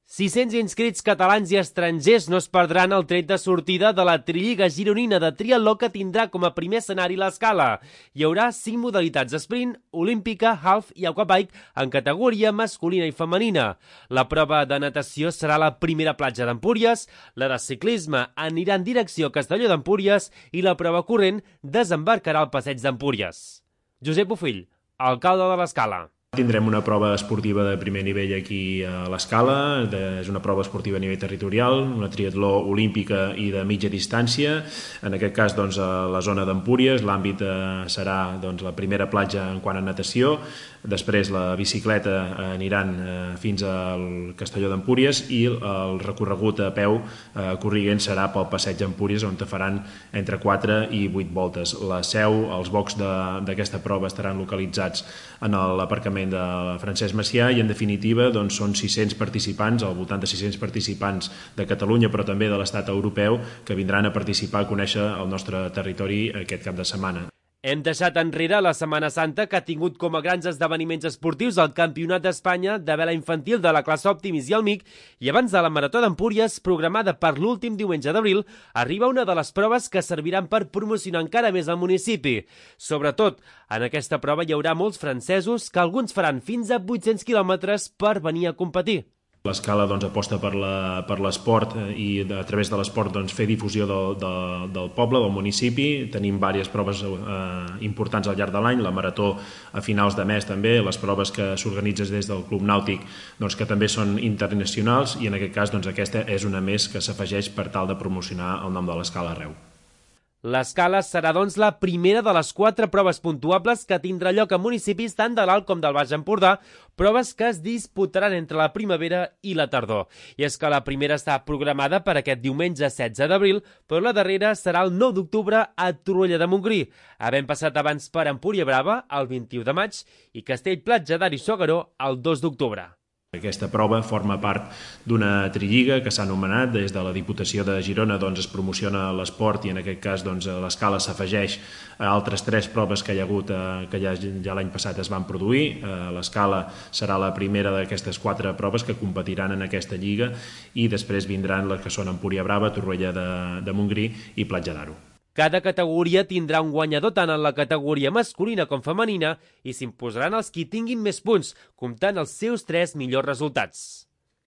600 inscrits catalans i estrangers no es perdran el tret de sortida de la Trilliga gironina de triatló que tindrà com a primer escenari l'Escala. Hi haurà 5 modalitats sprint, olímpica, half i aquabike en categoria masculina i femenina. La prova de natació serà la primera platja d'Empúries, la de ciclisme anirà en direcció a Castelló d'Empúries i la prova corrent desembarcarà al passeig d'Empúries. Josep Bofill, alcalde de l'Escala. Tindrem una prova esportiva de primer nivell aquí a l'Escala, és una prova esportiva a nivell territorial, una triatló olímpica i de mitja distància, en aquest cas doncs, a la zona d'Empúries, l'àmbit serà doncs, la primera platja en quant a natació, després la bicicleta aniran fins al Castelló d'Empúries i el recorregut a peu corriguent serà pel passeig d'Empúries on faran entre 4 i 8 voltes. La seu, els boxs d'aquesta prova estaran localitzats en l'aparcament de Francesc Macià i en definitiva doncs, són 600 participants, al voltant de 600 participants de Catalunya però també de l'estat europeu que vindran a participar a conèixer el nostre territori aquest cap de setmana. Hem deixat enrere la Setmana Santa que ha tingut com a grans esdeveniments esportius el Campionat d'Espanya de vela infantil de la classe Optimis i el MIC i abans de la Marató d'Empúries, programada per l'últim diumenge d'abril, arriba una de les proves que serviran per promocionar encara més el municipi. Sobretot, en aquesta prova hi haurà molts francesos que alguns faran fins a 800 quilòmetres per venir a competir. L'Escala doncs, aposta per l'esport i a través de l'esport doncs, fer difusió del poble, del municipi. Tenim diverses proves importants al llarg de l'any, la marató a finals de mes també, les proves que s'organitzen des del Club Nàutic doncs, que també són internacionals i en aquest cas doncs, aquesta és una més que s'afegeix per tal de promocionar el nom de l'Escala arreu. L'Escala serà, doncs, la primera de les 4 proves puntuables que tindrà lloc a municipis tant de l'Alt com del Baix Empordà, proves que es disputaran entre la primavera i la tardor. I és que la primera està programada per aquest diumenge 16 d'abril, però la darrera serà el 9 d'octubre a Torroella de Montgrí, havent passat abans per Empúria Brava el 21 de maig i Castell-Platja d'Aro i S'Agaró el 2 d'octubre. Aquesta prova forma part d'una trilliga que s'ha anomenat des de la Diputació de Girona, doncs es promociona l'esport i en aquest cas doncs, l'Escala s'afegeix a altres 3 proves que hi ha hagut que ja l'any passat es van produir. L'Escala serà la primera d'aquestes 4 proves que competiran en aquesta lliga i després vindran les que són Empúria Brava, Torroella de Montgrí i Platja d'Aro. Cada categoria tindrà un guanyador tant en la categoria masculina com femenina i s'imposaran els qui tinguin més punts, comptant els seus 3 millors resultats.